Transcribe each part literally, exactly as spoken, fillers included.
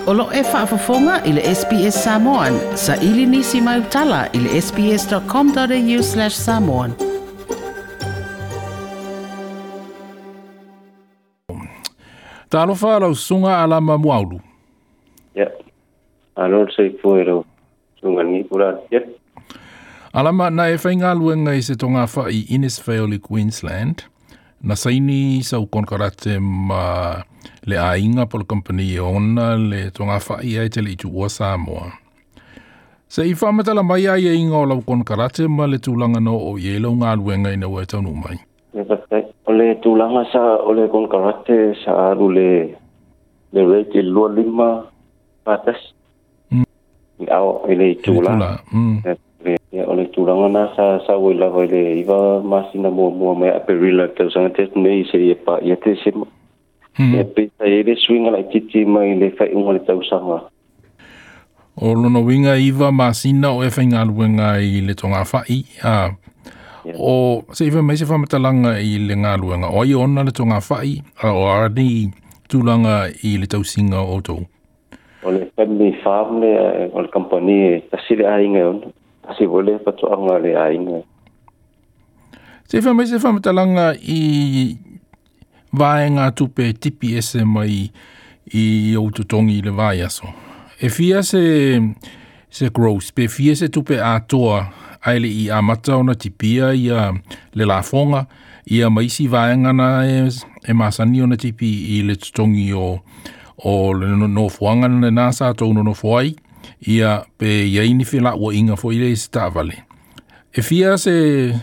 O lo e faafofoga i le S B S Samoan, sa ili nisi mai utala i le sbs.com.au slash samoan. Talofa lau sunga alama muaulu. Ya. Alo se foi sunga ni pura. Ya. Alama na e whainga luenga i se tonga whai Innisfail i Queensland. Na saini sau konkarate ma le ainga polo company ona le tonga whai ai te le itu ua Samoa. Se i whamatala mai ai e inga o lau konkarate ma le tūlanga no o i e lau ngā luenga ina ua e taunu mai. O le tūlanga sa o le konkarate sa aru le le rate lua lima patas. Mm. I au i le tūlanga. Mm. Ia o le tūlanga na sa sa ui lava i le iwa masina mua mua mai Aperila tausaga te nei se ia pa ia te sema. Mm. Ia pita i le suinga lai titi mai le whaiunga le tausaga. O lona winga iwa masina o e whaingaluenga i le tonga whai. A, yeah. O se iwa mai se whamatalanga i le ngaluenga. O ai ona le tonga whai, a o arani tūlanga i le tausinga o tau. O le family farm le, o le company tasile ainga ona. Asi vole patoanga le ainga. Se iwa mai se whamatalanga i vaenga tupe tipi ese mai i o tutongi i le vai aso. E fia se, se gross, pe fia se tupe atoa aile i amata ona tipia ia le lafonga, ia maisi vaenga na e, e masani ona tipi i le tutongi o, o le nofoanga na nasa tō nofoai, ia pe ia ini whila ua inga fo ile se tavale. E fia se,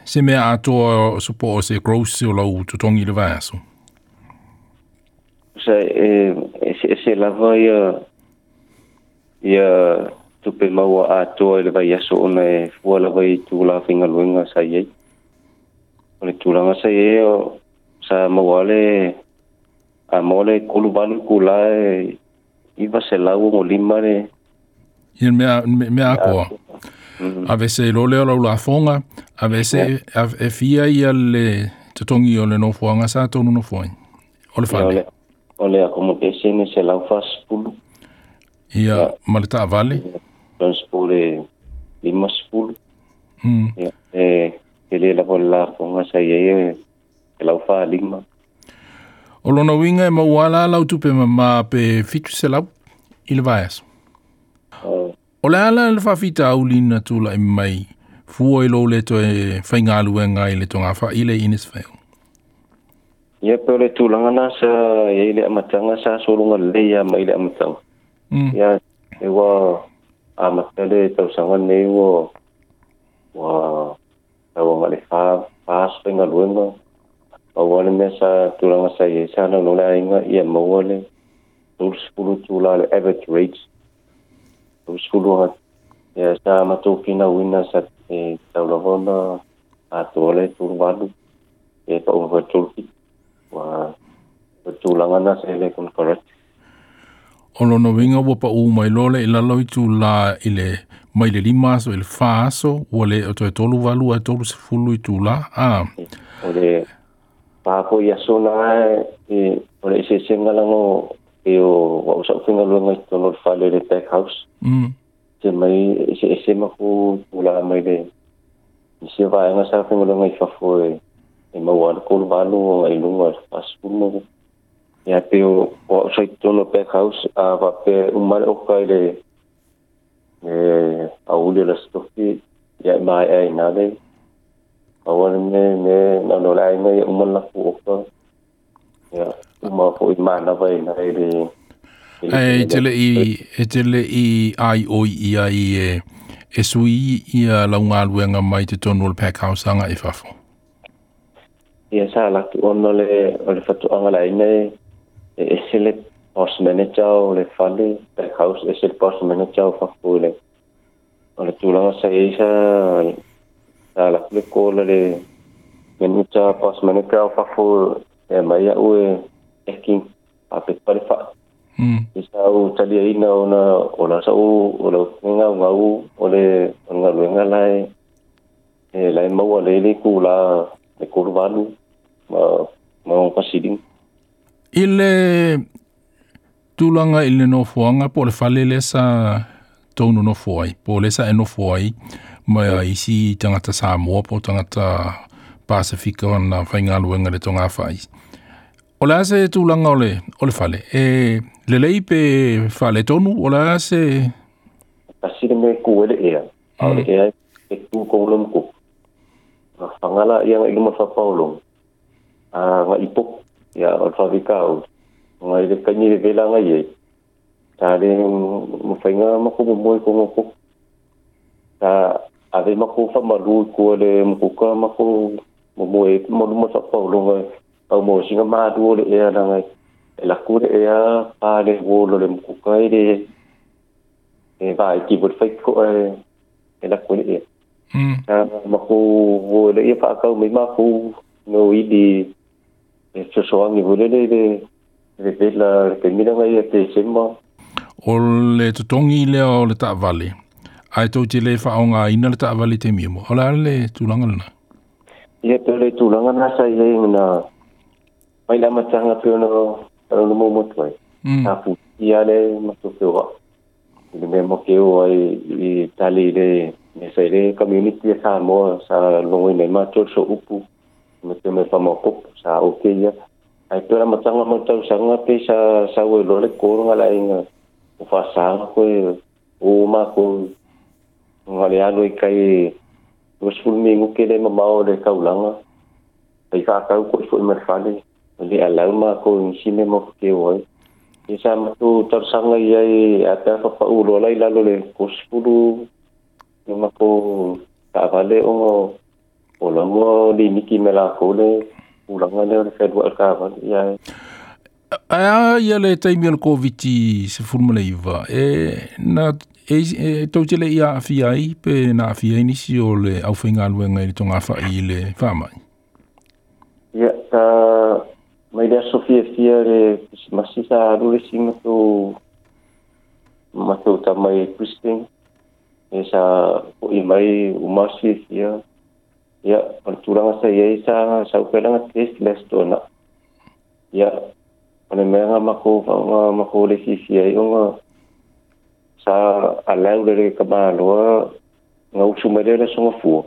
se mea atoa supo o se gross o lau tutongi le vai aso. Se, e, e, se lava ia ia tupe maua atoa i le vai aso ona e fua lava i tūla whingaluenga sa iei. O le tūlanga sa iei o sa maua le a maua le kolu valu kula e iwa se lau o lima le Ia mea, mea akoa. Mm-hmm. Ave se lole o lau lafonga, ave se yeah. e fia ia le totongi o le nofoanga sa tonu nofoai. O le fale. O le accommodation e se lau fasipulu. Ia, yeah, ma le taavale. Transport e lima sipulu. Mm. Ia, e e le lava le lafonga sa iei e lau wha lima. O lona winga e mauala lau tupe mama pe fitu se lau i le vai aso. Uh, O le ala le whawhita aulina tūla i mai fua i lo le toe whaingaluenga i le tonga wha i le Innisfail. Ia pe o le tūlanga na sa ia i le amatanga sa solunga le ia mai le amatanga. Mm. Ia e wa amata le tausaga nei ua ua tauanga le wha wha whaingaluenga. Maua le mea sa tūlanga sa ia sa na lola ainga ia maua le tolu tūla le average rate. Tolu ia sa matou whina wina sa e taulava ona atoa le tolu valu e paunga fai tolu whitu. Ua o tūlanga na sa ele konkarate. O lona winga ua pa u mai lole i lalo i tūla i le mai le lima aso i le wha aso ua le o toe tolu valu ai tolu sefulu i tūla. Ah. O le pāpo i aso na e o le esesenga lango e o wa usa ufinga luenga i tono le whale le pack house. Mm. Te mai ese ese maku tūla mai le i se vaenga sa ufinga luenga i fafo e e maua le kolu valu o ngai lunga le whasipulu. Ia pe o wa usa i tono pack house a wa pe umale oka i le e auli la stofi ia mai ai nā le aua le me me na no lai ngai umala ku oka. Ia uma fo i mana vai na i le e tele i e tele i ai o i ai e e sui ia lau ngaluenga mai te tonu o le pack house anga i fafo. Ia sa la tu ona le o le fatuanga la ina e e se le boss manager o le fale pack house e se boss manager o fafo le o le tūlanga sa i sa sa la le kola le manager boss manager o fafo e mai au e eking a pe pare fa. Mm. I sa u talia ina ona o la sa u o la ngau ngau o le o ngaluenga lai e lai maua le le kula le kolu valu ma ma o pasiling. I le Tulaga i le nofoaga po o le fale lea sa tou nonofo ai po o lea sa e nofo ai ma isi tagata Samoa po o tagata Pasifika ona faigaluega i le togafai. O le a se tulaga o le, o le fale? E lelei pe faaletonu o le a se... Tasi le mea ku e le ea. A o le ea e tu kou le mukuku. Fagala ia ngai luma fapaolongo. A ngai ipoku. Ia o le favikau. Ngai le kaini le vela ngai e. Ta le mawhainga mako momoe ko ngoko. Ta ave mako whamalu ko le mukuka mako momoe mo luma fapaolongo. Au mo singa maadu o le ea la ngai. E laku le ea pa le wolo le mukuka i le e vai ki bo fai ko e e laku le ea. Mm. Ta mako wo le ia whaakau mai mako no i di e sosoangi wo le le le vela le kaimina ngai e te sema. O le totogi lea o le taavale, ae tou te le faaaogāina le taavale i taimi e mua. O le a le tulaga lena? Ia pe o le tulaga na sa i ai na mai le amataga pe ona ona momotu ai. Sa futia le matou feoa. I le mea mo ke o ai i tali i le me sa i le community e Samoa sa logoina ai matou le sooupu me te me whamaopopo sa oke ia. Ai pe o le amataga ma le tausaga pe sa sau ai loa le kolo nga laaiga o faasaga koe o makou nga le alu i kai luasefulu minuke le mamao o le kaulaga ai faakau koe fo'i ma le fale le alau makou i nisi mea mokekeu ai. Ia sa matou talosaga ia i a pe a faapa'u loa la i lalo le tolusefulu le makou taavale ona o laua limiki me lakou le tulaga lea o le fealua'i o le taavale ia. Ae a ia le taimi o le Koviti sefulu ma le iva, e na e, e tou te le i aafia ai pe na aafia ai nisi o le aufaigaluega i le togafai i le faamai? Ia, ta mai le aso fiafia le Krisimasi sa alu le isi matou matou tama i Christine. E sa fo'i mai uma aso fiafia. Ia, o le tulaga sa i ai sa sau pea laga test le aso toana'i. Ia, o le mea nga makou nga makou le fiafia ai ona sa alau le le kamaloa nga usu mai lea le aso gafua.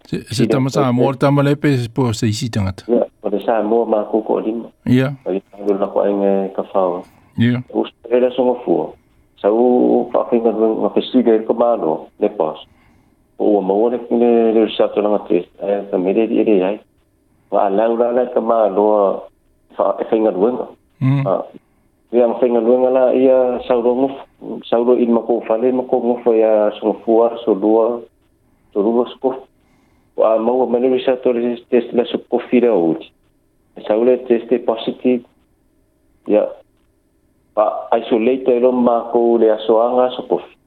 Se, se tama Samoa le tama lea pe po o se isi tagata? Ia, o le Samoa makou toalima. Ia. Ai alu la ko aiga e kafao. Ia. Usu mai le aso gafua. Sau faafaigaluega nga fesili ai le kamaloa le boss. O ua maua le le le result o laga test ae fai mai le alii e leai. Nga alau la la le kamaloa fa e faigaluega. Mm. Ah, ia nga faigaluega la ia sau loa gofo sau loa i le makou fale makou gofo ia aso gafua aso lua tolu aso kofi. Ua a maua mai le result o le test le aso kofi le aouli. Sau le test e positive. Ia fa isolate ai loa makou le aso aga aso kofi.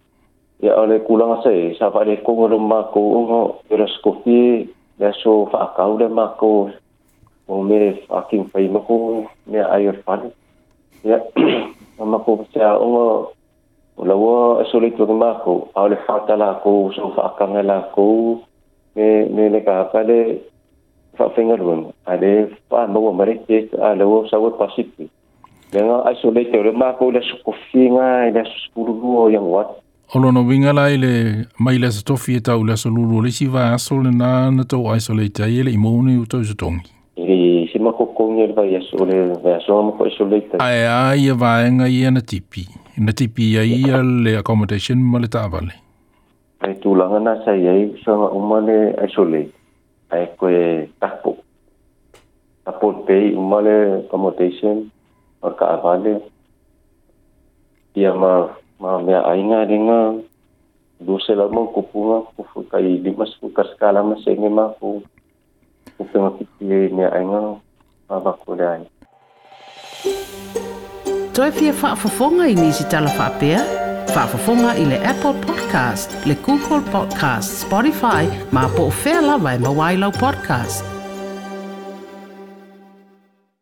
Ia o le tulaga sa i ai sa faaletogo loa makou ona o le aso kofi le aso faakau le makou o me fucking fai makou mea ai o le fale. Ia ma makou feaoga o laua isolate o makou a o le fata lakou so faakaga lakou me me le kaka le faafaigaluega a le faamaua mai le test a laua sau e positive. Le nga isolate o le makou le aso kofi nga i le aso sefululua o Ianuari. O lona uiga la i le mai le aso tofi e tau i le aso lulu o le isi vaiaso lenā na tou isolate ai e le i maua ni tou totogi. I se makokogi o le vaiaso o le vaiaso nga mako isolate ai. Ae a ia vaega ia na tipi. Na tipi ai ia le accommodation ma le taavale. Ai tulaga na sa i ai usoga uma le isolate. Ae koe tapo. Tapo pay uma le accommodation o le taavale. Ia ma ma mea aiga lega lua selau ma tupuga kufu kai limasefulu tasi tala ma sene makou tupe gapipi ai mea aiga avatu le ai. Toe fia faafofoga i nisi tala faapea? Faafofoga i le Apple Podcast, le Google Podcast, Spotify, ma po o fea lava e maua ai lau podcast.